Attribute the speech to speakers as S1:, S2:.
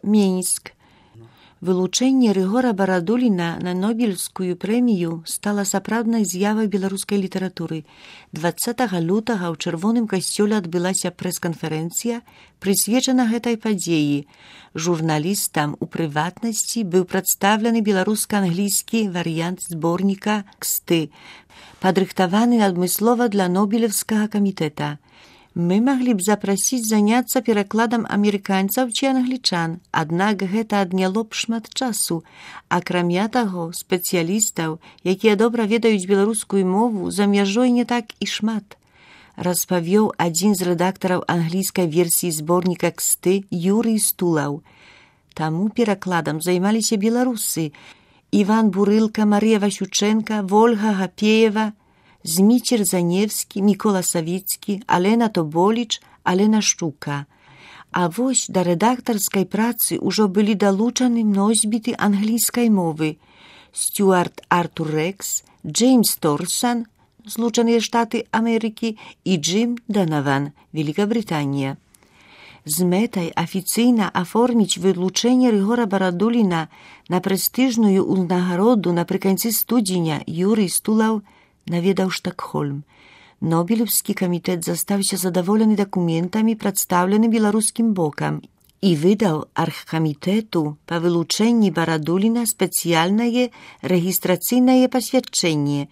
S1: Мінск. Вылучэнне Рыгора Барадуліна на Нобелевскую прэмію стала сапраўднай з'явай беларускай літаратуры. 20 лютага ў Чырвоным касцёле адбылася прэс-канферэнцыя, прысвечана гэтай падзеі. Журналістам у прыватнасці быў прадстаўлены беларуска-англійскі варыянт зборніка «Ксты», падрыхтаваны адмыслова для Нобелевскага камітэта. Мы маглі б запрасіць заняцца перакладам амерыканцаў ці англічан, аднак гэта адняло б шмат часу. Акрамя таго, спецыялістаў, якія добра ведаюць беларускую мову, за мяжой не так і шмат. Распавёў адзін з рэдактараў англійскай версіі зборніка «Ксты» Юрый Стулаў. Таму перакладам займаліся беларусы: Іван Бурылка, Марыя Васючэнка, Вольга Гапеева, Зміцер Заневскі, Мікола Савіцкі, Алена Тоболіч, Алена Штука. А вось да рэдактарскай працы ўжо былі далучаны носьбіты англійскай мовы: Стюарт Артур Рекс, Джеймс Торсан, Злучаныя Штаты Амерыкі, і Джим Данаван, Великабрытанія. З мэтай афіцыйна аформіць вылучэнне Рыгора Барадуліна на прэстыжную ўзнагароду напрыканцы студзеня Юрый Стулаў наведаў Штокхольм. Нобелевскі камітэт застаўся задаволены дакументамі, прадстаўлены беларускім бокам, і выдаў аргкамітэту па вылучэнні Барадуліна спецыяльнае рэгістрацыйнае пасвядчэнне,